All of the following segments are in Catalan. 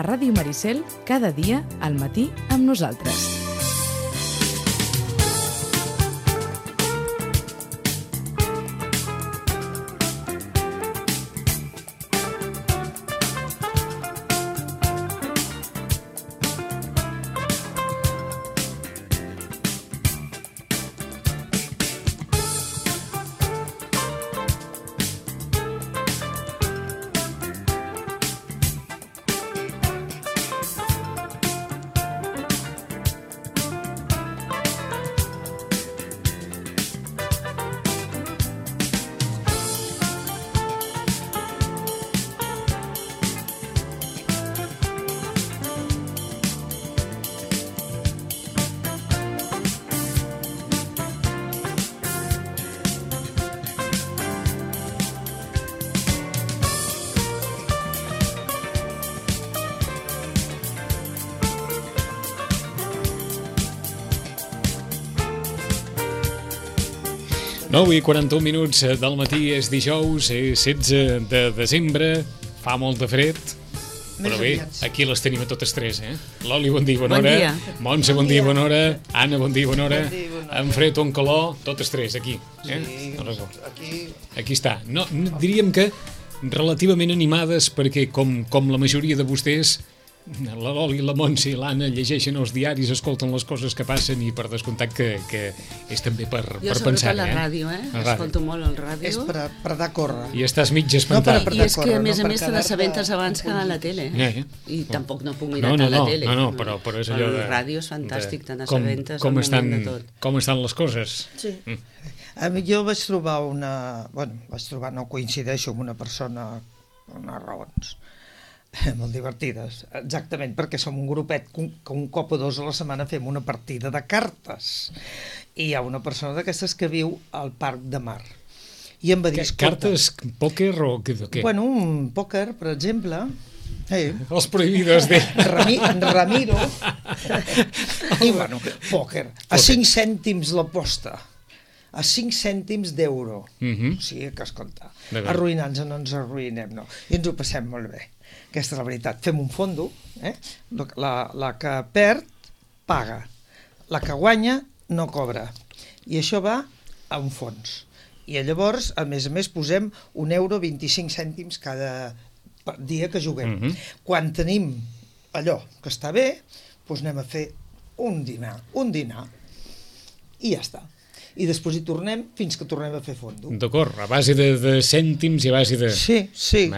a Ràdio Maricel, cada dia al matí amb nosaltres. I 41 minuts del matí, és dijous, és 16 de desembre, fa molt de fred, però bé, aquí les tenim a totes tres, eh? Loli, bon dia, bona hora. Montse, bon dia, bona hora. Anna, bon dia, bona hora. En fred o en calor, totes tres, aquí. Aquí està. No, diríem que relativament animades, perquè com la majoria de vostès, la Loli, la Montse i l'Anna llegeixen els diaris, escolten les coses que passen i per descomptat que és també per pensar. Jo sobretot la ràdio, escolto molt el ràdio. És per anar a córrer. I estàs mig espantat. I és que a més te n'assabentes abans que a la tele. I tampoc no puc mirar tant la tele. No, però és allò de... El ràdio és fantàstic, te n'assabentes al moment de tot. Com estan les coses? Sí. Jo vaig trobar no coincideixo amb una persona per unes raons molt divertides, exactament perquè som un grupet que un cop o dos a la setmana fem una partida de cartes i hi ha una persona d'aquestes que viu al Parc de Mar i em va dir... Cartes, pòquer o què? Bueno, un pòquer, per exemple... Els prohibidos de... Ramiro i bueno, pòquer a 5 cèntims l'aposta, a 5 cèntims d'euro. O sigui que, escolta, arruïnant-nos no ens arruïnem, no. I ens ho passem molt bé. Aquesta és la veritat. Fem un fondo, la que perd paga, la que guanya no cobra. I això va a un fons. I llavors, a més, posem €1,25 cada dia que juguem. Quan tenim allò que està bé, doncs anem a fer un dinar, i ja està. I després hi tornem fins que tornem a fer fondo. D'acord, a base de cèntims i a base de... Sí,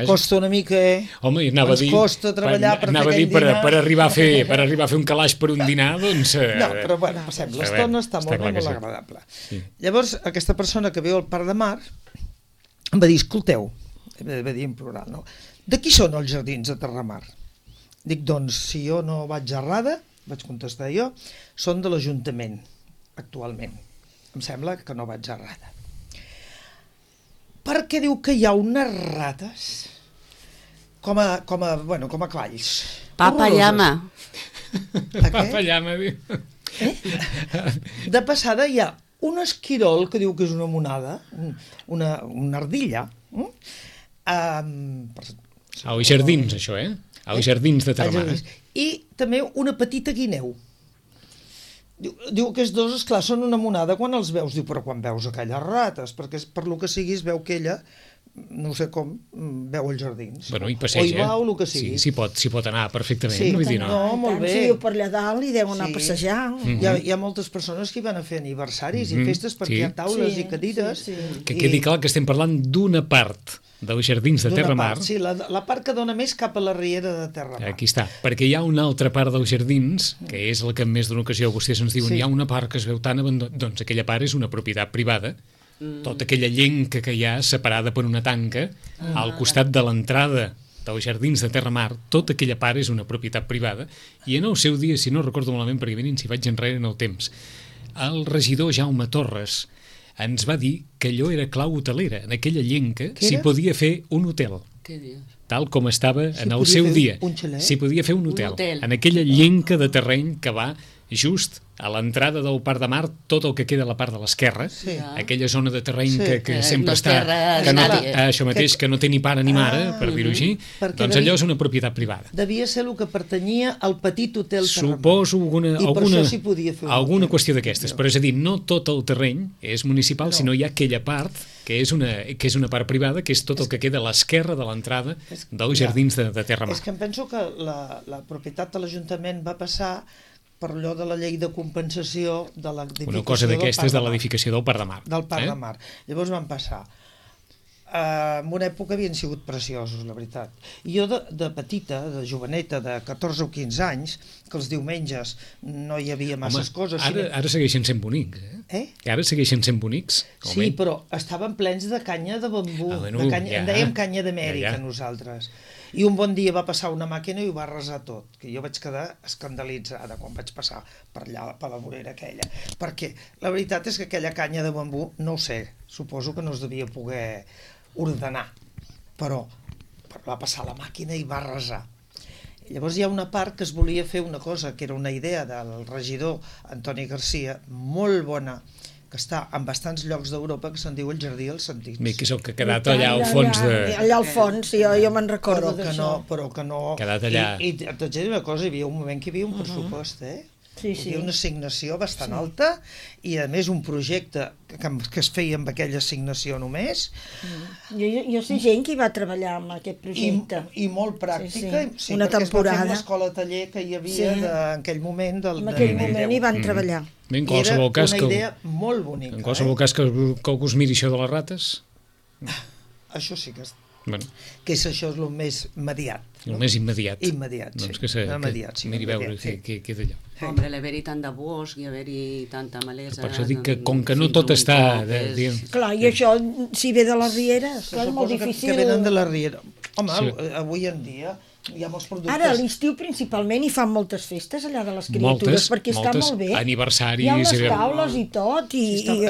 costa una mica, Home, anava a dir... costa treballar per fer aquell dinar. Per arribar a fer un calaix per un dinar, doncs... No, però bueno, passem, l'estona està molt agradable. Llavors, aquesta persona que viu al Parc de Mar em va dir, escolteu, va dir en plural, no? De qui són els jardins de Terramar? Dic, doncs, si jo no vaig errada, vaig contestar jo, són de l'Ajuntament, actualment. Em sembla que no vaig errada. Perquè diu que hi ha unes rates com a clals. Papallama. Papallama, diu. De passada hi ha un esquirol que diu que és una monada, una ardilla. Als jardins, això, als jardins de Terramar. I també una petita guineu. Diu que els dos, esclar, són una monada quan els veus. Diu, però quan veus aquelles rates, perquè per lo que sigui es veu que ella, no sé com, veu els jardins. Bueno, i passeja. O hi va o el que sigui. Sí, s'hi pot anar perfectament. Sí, vull dir, no, molt bé. Si viu per allà dalt i deu anar a passejar. Hi ha moltes persones que hi van a fer aniversaris i festes perquè hi ha taules i cadires. Que quedi clar que estem parlant d'una part dels jardins de Terramar. Sí, la part que dona més cap a la riera de Terramar. Aquí està, perquè hi ha una altra part dels jardins, que és la que en més d'una ocasió vostès ens diuen, hi ha una part que es veu tan abandonada, doncs aquella part és una propietat privada, tota aquella llenca que hi ha separada per una tanca, al costat de l'entrada dels jardins de Terramar, tota aquella part és una propietat privada, i en el seu dia, si no recordo malament, perquè mirin si vaig enrere en el temps, el regidor Jaume Torres ens va dir que allò era clau hotelera. En aquella llenca s'hi podia fer un hotel. Què dius? Tal com estava en el seu dia. S'hi podia fer un hotel. En aquella llenca de terreny que va just a l'entrada del Parc de Mar, tot el que queda a la part de l'esquerra, aquella zona de terreny que sempre està... Això mateix, que no té ni pare ni mare, per dir-ho així, doncs allò és una propietat privada. Devia ser el que pertanyia al petit hotel Terramar. Suposo alguna fer qüestió d'aquestes, però és a dir, no tot el terreny és municipal, sinó hi ha aquella part que és una part privada, que és tot el que queda a l'esquerra de l'entrada dels jardins de Terramar. És que em penso que la propietat de l'Ajuntament va passar per allò de la llei de compensació de l'edificació del Parc de Mar. Una cosa d'aquestes de l'edificació del Parc de Mar. Del Parc de Mar. Llavors van passar. En una època havien sigut preciosos, la veritat. I jo de petita, de joveneta, de 14 o 15 anys, que els diumenges no hi havia masses coses... Ara segueixen sent bonics, Ara segueixen sent bonics. Sí, però estaven plens de canya de bambú. En dèiem canya d'Amèrica, nosaltres. I un bon dia va passar una màquina i ho va arrasar tot, que jo vaig quedar escandalitzada quan vaig passar per allà, per la vorera aquella, perquè la veritat és que aquella canya de bambú, no ho sé, suposo que no es devia poder ordenar, però va passar la màquina i va arrasar. Llavors hi ha una part que es volia fer una cosa, que era una idea del regidor Antoni Garcia, molt bona, que està en bastants llocs d'Europa, que se'n diu el Jardí dels Sentits. Que és el que ha quedat allà al fons de... Allà al fons, jo me'n recordo d'això. Però que no... Quedat allà... I t'haig de dir una cosa, hi havia un moment que hi havia un pressupost, Sí, hi havia una assignació bastant alta i a més un projecte que es feia amb aquella assignació només. Jo sé gent que hi va treballar amb aquest projecte. I molt pràctica. Sí, una temporada. Perquè es va fer una escola taller que hi havia en aquell moment. En aquell moment hi van treballar. En qualsevol cas era una idea molt bonica. En qualsevol cas que algú es miri això de les rates... Això sí que... Bueno. Que això és el més immediat. El més immediat. Immediat, sí. Doncs que miri veure què queda allò. Hombre, l'haver-hi tant de bosc i haver-hi tanta malesa... Per això dic que com que no tot està... Clar, i això, si ve de les rieres, és molt difícil... Que venen de la riera. Home, avui en dia... hi ha molts productes... Ara, a l'estiu principalment hi fan moltes festes allà de les criatures, perquè està molt bé. Aniversaris... Hi ha unes taules i tot.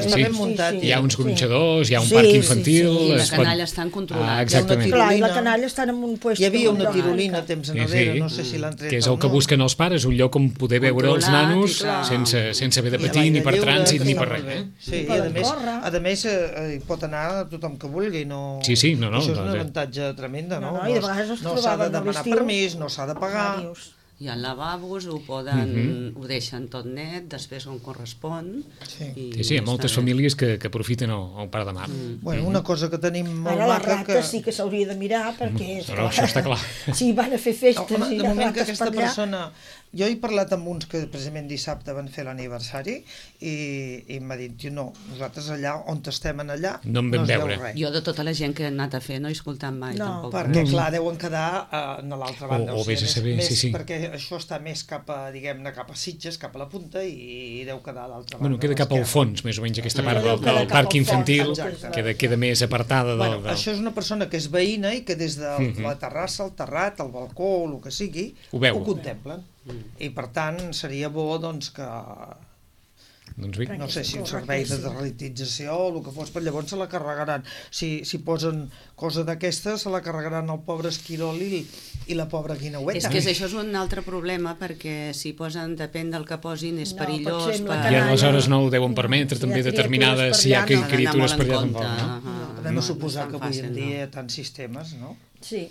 Està ben muntat. Hi ha uns gronxadors, hi ha un parc infantil... I la canalla estan controlats. Exactament. Clar, i la canalla està en un puesto... Hi havia una tirolina temps enrere, no sé si l'han tret o no. Que és el que busquen els pares, un lloc on poder veure els nanos sense haver de patir ni per trànsit ni per res. Sí, i a més hi pot anar tothom que vulgui. Sí, no. Això és un avantatge tremenda, no? I de vegades es trobaven permís, no s'ha de pagar. Hi ha lavabos, ho deixen tot net, després on correspon. Sí, hi ha moltes famílies que aprofiten el Parc de Mar. Bueno, una cosa que tenim molt maca... Ara les rates sí que s'hauria de mirar, perquè... Però això està clar. Sí, van a fer festes i de moment que aquesta persona... Jo he parlat amb uns que precisament dissabte van fer l'aniversari i m'ha dit, no, nosaltres allà on estem allà no es veu res. Jo de tota la gent que he anat a fer no he escoltat mai tampoc. Perquè clar, deuen quedar a l'altra banda. O vés a saber, sí. Perquè això està més cap a, diguem-ne, cap a Sitges, cap a la punta i deu quedar a l'altra banda. Bueno, queda cap al fons, més o menys, aquesta part del parc infantil, queda més apartada del... Això és una persona que és veïna i que des de la terrassa, el terrat, el balcó, o el que sigui, ho contemplen. I per tant seria bo doncs que no sé si un servei de deslitització o el que fos, però llavors se la carregaran si posen cosa d'aquestes se la carregaran el pobre esquirol i la pobra guineueta. És que això és un altre problema, perquè si posen, depèn del que posin, és perillós i aleshores no ho deuen permetre també determinades, si hi ha criatures per allà tampoc. Podem suposar que avui en dia hi ha tants sistemes, no? Sí.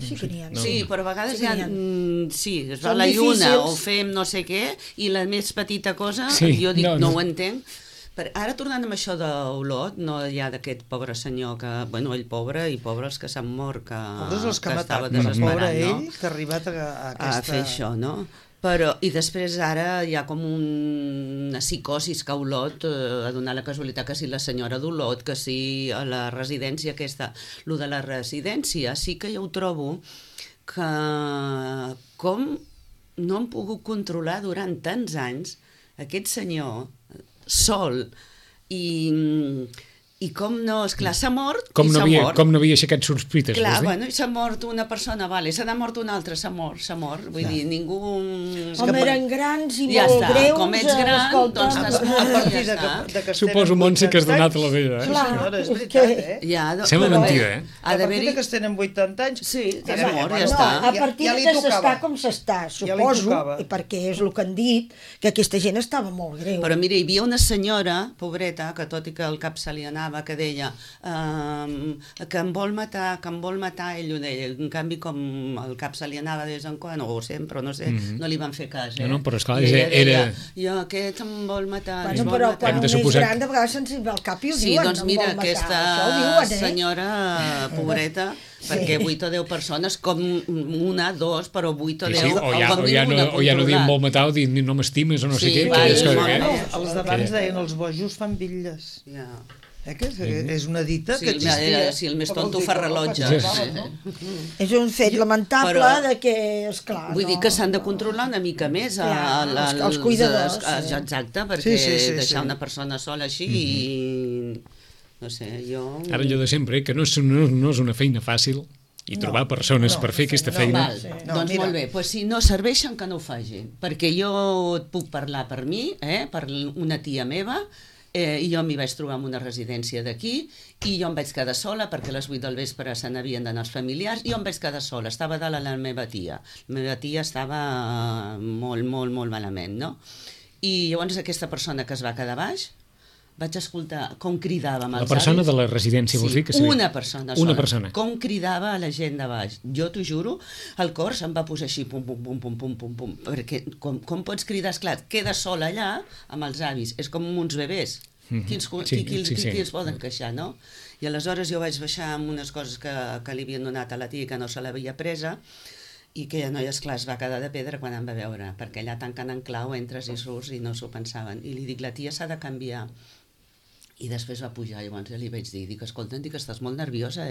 Sí que n'hi ha. Sí, però a vegades es va a la lluna o fem no sé què i la més petita cosa, jo dic no ho entenc. Ara tornant amb això d'Olot, no hi ha d'aquest pobre senyor que, bueno, ell pobre i pobres que s'han mort, que estava desesperat, no? Pobre ell que ha arribat a fer això, no? Però, i després ara hi ha com una psicosis que a Olot, a donar la casualitat que si la senyora d'Olot, que si a la residència aquesta, lo de la residència, sí que jo ho trobo que com no han pogut controlar durant tants anys aquest senyor sol i I com no, esclar, s'ha mort com i no s'ha havia, mort. com no havia aixecat sospites, Clar, vols dir? bueno, i s'ha mort una persona, vale, se n'ha mort una altra, s'ha mort. Vull dir, ningú... Com eren grans i ja molt està, greus... com ets gran, escolta, doncs t'has A mort partir i ja està. Suposo, Montse, que has donat la vella, Sí, Clar, senyora, és és veritat, que- eh? Ja, Sembla però mentida, bé, eh? Ha A partir d'haver-hi... que es tenen 80 anys... Sí, ja és mort, ja No, està. a partir ja li que tocava. s'està com s'està, Ja li suposo, tocava. i perquè és el que han dit, que aquesta gent estava molt greu. Però mira, hi havia una senyora, pobreta, que tot i que el cap se li anava, que deia que em vol matar, ell ho deia. En canvi, com el cap se li anava de vez en quan, o sempre, no sé, no li van fer cas, No, però esclar, I ella era- deia, jo, aquest em vol matar, Bueno, ens vol però matar. quan Hem un de és suposar gran, de vegades se'ns va al cap i ho Sí, diuen. doncs em mira, vol matar. aquesta Això ho diuen, senyora pobreta, perquè 8 o 10 persones, com una, dos, però 8 o 10, Sí, o ja no diuen vol matar o diuen no m'estimes o no sé Sí, què. va, aquelles i coses, molt eh? bé. Els d'abans deien els bojos fan bitlles. Ja. Que és una dita Sí, que existia. si el més Però tonto vol dir fa que no rellotge. pensaven, no? És un fet lamentable Però- de que, esclar... Vull dir que s'han de controlar una mica més Clar, els cuidadors, sí. exacte, perquè Sí. deixar una persona sola així i... No sé, jo... Ara allò de sempre, que no és una feina fàcil i trobar persones per fer aquesta feina. Val, No, doncs mira. molt bé, doncs si no serveixen que no ho facin, perquè jo et puc parlar per mi, per una tia meva, i jo m'hi vaig trobar en una residència d'aquí i jo em vaig quedar sola perquè a les 8 del vespre se n'havien d'anar els familiars i jo em vaig quedar sola, estava dalt la meva tia. La meva tia estava molt malament, no? I llavors aquesta persona que es va quedar baix vaig escoltar com cridava amb La els persona avis. de la residència, vols dir? Que seria? Una persona Una sola. persona. Com cridava a la gent de baix. Jo t'ho juro, el cor se'm va posar així, pum, pum, pum, pum, pum, pum, pum, perquè com pots cridar? Esclar, queda sola allà amb els avis, és com uns bebès. Qui els poden queixar, no? I aleshores jo vaig baixar amb unes coses que li havien donat a la tia que no se l'havia presa i aquella noia, esclar, es va quedar de pedra quan em va veure, perquè allà tancant en clau entres i surts i no s'ho pensaven. I li dic, la tia s'ha de canviar. I després va pujar, llavors ja li vaig dir, escolta, estàs molt nerviosa,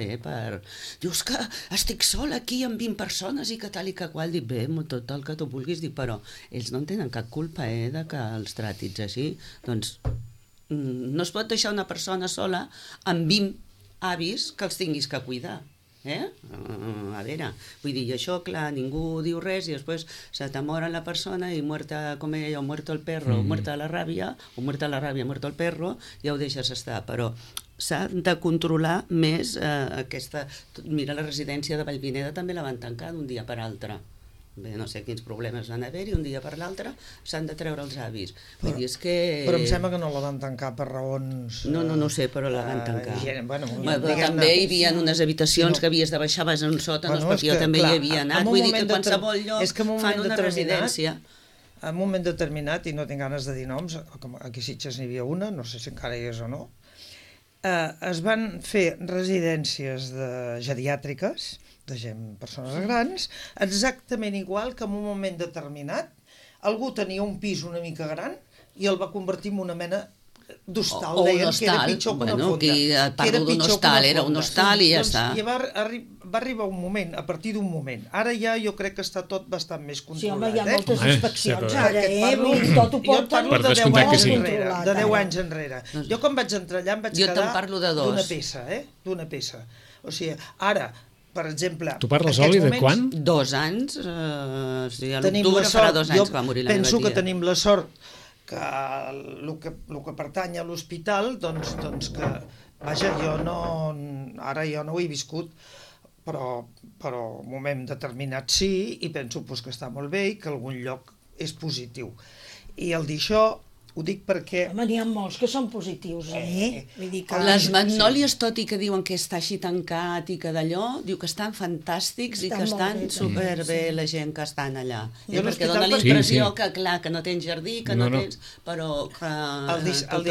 Dius que estic sola aquí amb 20 persones i que tal i que qual. Dic, bé, tot el que tu vulguis, però ells no en tenen cap culpa, de que els tràtits així. Doncs no es pot deixar una persona sola amb 20 avis que els tinguis que cuidar. A veure, vull dir, això, clar, ningú diu res i després se t'amora la persona i muerta, com ella, o muerto el perro, o muerta la ràbia, o muerta la ràbia, muerto el perro, ja ho deixes estar, però s'ha de controlar més aquesta... Mira, la residència de Vallvineda també la van tancar d'un dia per altre. Bé, no sé quins problemes van haver-hi, un dia per l'altre s'han de treure els avis. Vull dir, és que... Però em sembla que no la van tancar per raons... No ho sé, però la van tancar. Bueno, Però també hi havia unes habitacions que havies de baixar, vas a un sòtan, perquè jo també hi havia anat. Vull dir que qualsevol lloc fan una residència. En un moment determinat, i no tinc ganes de dir noms, com aquí a Sitges n'hi havia una, no sé si encara hi és o no, es van fer residències geriàtriques de gent, persones grans, exactament igual que en un moment determinat algú tenia un pis una mica gran i el va convertir en una mena d'hostal, deien que era pitjor que una fonda. Aquí et parlo d'un hostal, era un hostal i ja està. I va arribar un moment, a partir d'un moment. Ara ja jo crec que està tot bastant més controlat. Sí, home, hi ha moltes inspeccions, ara, Jo tot ho et porten parlo de 10 descomptat que anys sí. enrere, de 10 anys enrere. Jo quan vaig entrar allà em vaig Jo te'n quedar parlo de dos. d'una peça, d'una peça. O sigui, ara, per exemple... Tu parles, Oli, de quan? 2 anys, a l'octubre farà 2 anys que va morir la meva tia. Penso que tenim la sort que el que pertany a l'hospital, doncs que, vaja, ara jo no ho he viscut, però en un moment determinat sí, i penso que està molt bé i que algun lloc és positiu. I el dir això ho dic perquè... Home, n'hi ha molts que són positius, Vull dir que... Les magnòlies, tot i que diuen que està així tancat i que d'allò, diu que estan fantàstics i que estan superbé la gent que estan allà. Perquè dona la impressió que, clar, que no tens jardí, que no tens... Però que... El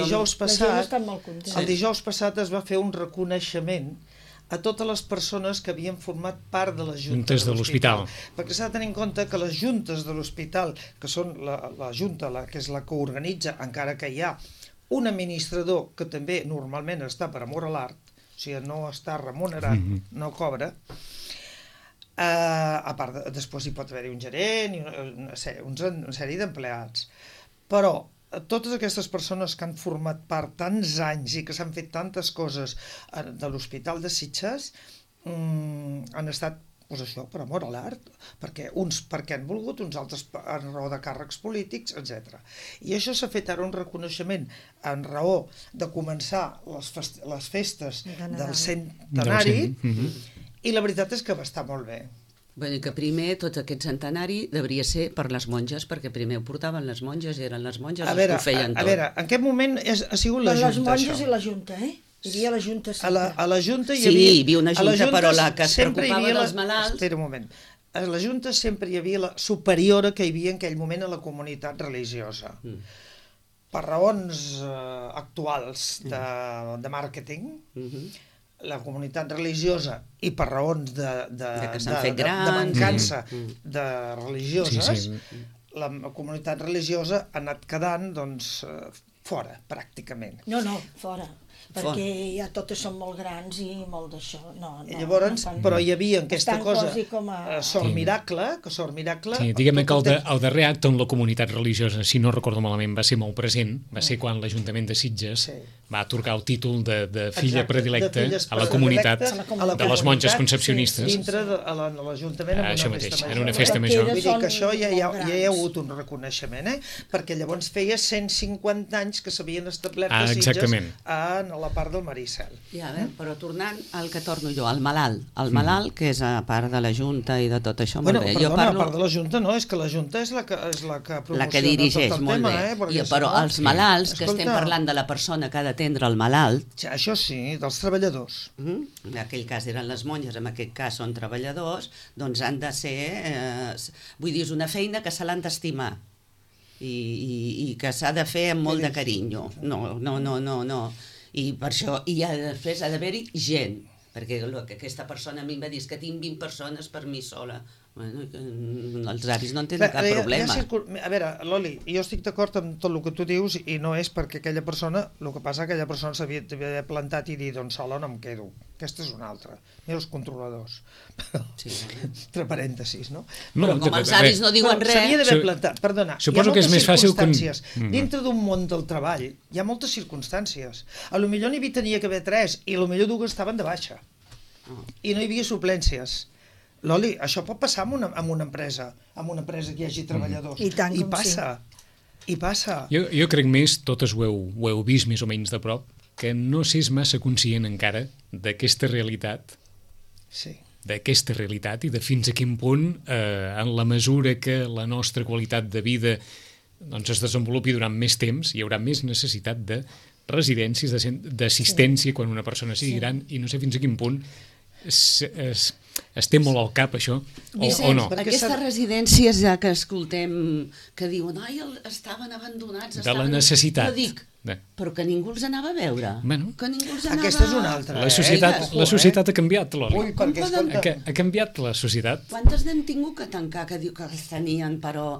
dijous passat es va fer un reconeixement a totes les persones que havien format part de les juntes de l'hospital. Perquè s'ha de tenir en compte que les juntes de l'hospital, que són la junta, que és la que organitza, encara que hi ha un administrador que també normalment està per amor a l'art, o sigui, no està remunerat, no cobra, a part, després hi pot haver-hi un gerent i una sèrie d'empleats. Però totes aquestes persones que han format part tants anys i que s'han fet tantes coses de l'Hospital de Sitges han estat, doncs això, per amor a l'art, perquè uns perquè han volgut, uns altres en raó de càrrecs polítics, etc. I això s'ha fet ara un reconeixement en raó de començar les festes del centenari, i la veritat és que va estar molt bé. Bueno, i que primer tot aquest centenari devia ser per les monges, perquè primer ho portaven les monges, eren les monges les que ho feien tot. A veure, en aquest moment ha sigut la Junta, les monges i la Junta, Hi havia la Junta sempre. A la Junta hi havia una Junta, però la que es preocupava dels malalts... Espera un moment. A la Junta sempre hi havia la superiora que hi havia en aquell moment a la comunitat religiosa. Per raons actuals de màrqueting, la comunitat religiosa, i per raons de mancança de religioses, la comunitat religiosa ha anat quedant fora, pràcticament. No, fora. Perquè ja totes són molt grans i molt d'això. Llavors, però hi havia aquesta cosa, Sort Miracle, Sí, diguem que el darrer acte on la comunitat religiosa, si no recordo malament, va ser molt present, va ser quan l'Ajuntament de Sitges va atorgar el títol de filla predilecta a la comunitat de les monges concepcionistes. Dintre de l'Ajuntament en una festa major. Vull dir que això ja hi ha hagut un reconeixement, perquè llavors feia 150 anys que s'havien establert a Sitges en la part del Maricel. Ja, però tornant al que torno jo, al malalt. El malalt, que és a part de la Junta i de tot això, molt bé. Perdona, a part de la Junta no, és que la Junta és la que promociona tot el tema. Però els malalts, que estem parlant de la persona que ha d'atendre el malalt... Això sí, dels treballadors. En aquell cas eren les monges, en aquest cas són treballadors, doncs han de ser... Vull dir, és una feina que se l'han d'estimar i que s'ha de fer amb molt de carinyo. No. I per això, després ha d'haver-hi gent, perquè aquesta persona a mi em va dir que tinc 20 persones per mi sola. Bueno, els avis no en tenen cap problema. A veure, Loli, jo estic d'acord amb tot el que tu dius i no és perquè aquella persona, el que passa que aquella persona s'havia plantat i dir, doncs sola no em quedo. Aquesta és una altra. Mira els controladors. Entre parèntesis, no? Però com els avis no diuen res... S'havia d'haver plantat, perdona. Suposo que és més fàcil... Dintre d'un món del treball hi ha moltes circumstàncies. A lo millor n'hi tenia que haver 3 i a lo millor 2 estaven de baixa. I no hi havia suplències. Loli, això pot passar amb una empresa que hi hagi treballadors. I passa. Jo crec més, totes ho heu vist més o menys de prop, que no s'és massa conscient encara d'aquesta realitat, i de fins a quin punt, en la mesura que la nostra qualitat de vida es desenvolupi durant més temps, hi haurà més necessitat de residències, d'assistència quan una persona sigui gran, i no sé fins a quin punt es té molt al cap això o no. Aquestes residències ja que escoltem que diuen, estaven abandonats, de la necessitat, jo dic, però que ningú els anava a veure, que ningú els anava... Aquesta és una altra. La societat ha canviat, Loli. Ha canviat la societat. Quantes n'hem tingut que tancar, que diu que els tenien, però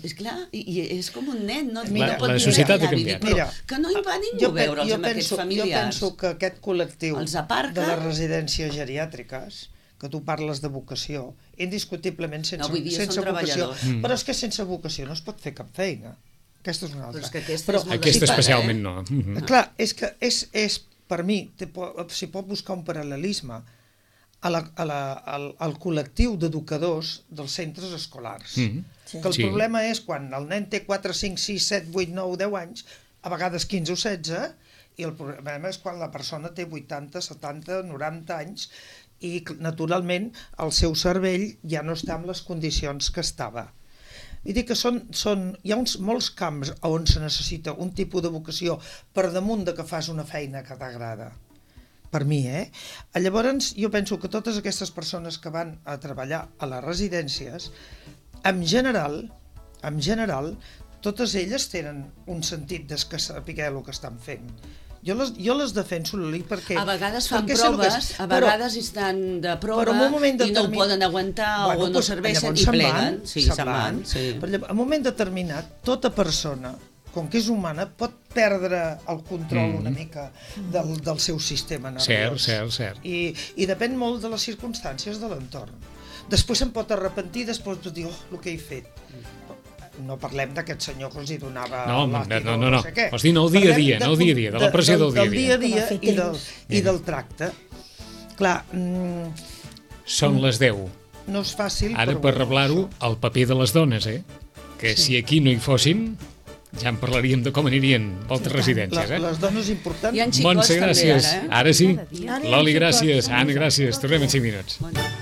és clar, i és com un nen, no? La societat ha canviat. Que no hi va ningú a veure'ls amb aquests familiars. Jo penso que aquest col·lectiu de les residències geriàtriques, que tu parles de vocació, indiscutiblement sense vocació, però és que sense vocació no es pot fer cap feina. Aquesta és una altra. Però aquesta especialment no. Clar, és que per mi, s'hi pot buscar un paral·lelisme al col·lectiu d'educadors dels centres escolars. Que el problema és quan el nen té 4, 5, 6, 7, 8, 9, 10 anys, a vegades 15 o 16, i el problema és quan la persona té 80, 70, 90 anys i naturalment el seu cervell ja no està en les condicions que estava. Vull dir que hi ha molts camps on se necessita un tipus de vocació per damunt de que fas una feina que t'agrada. Per mi, Llavors, jo penso que totes aquestes persones que van a treballar a les residències, en general, totes elles tenen un sentit de saber el que estan fent. Jo les defenso, Loli, perquè... A vegades fan proves, a vegades estan de prova i no ho poden aguantar o no serveixen i pleguen. Sí, se'n van. En un moment determinat, tota persona, com que és humana, pot perdre el control una mica del seu sistema nerviós. Cert. I depèn molt de les circumstàncies de l'entorn. Després se'n pot arrepentir, després pot dir, el que he fet. no parlem d'aquest senyor que els hi donava no. no sé què. Vols dir, no el dia a dia, de la pressió del dia a dia. I del tracte. Clar... Són les 10. No és fàcil, ara, per reblar-ho, el paper de les dones, que si aquí no hi fossin, ja en parlaríem de com anirien moltes residències. Les dones importants... Hi ha xicots també, Montse, gràcies. Ara sí. Ara Loli, gràcies. Anna, gràcies. Tornem en 5 minuts.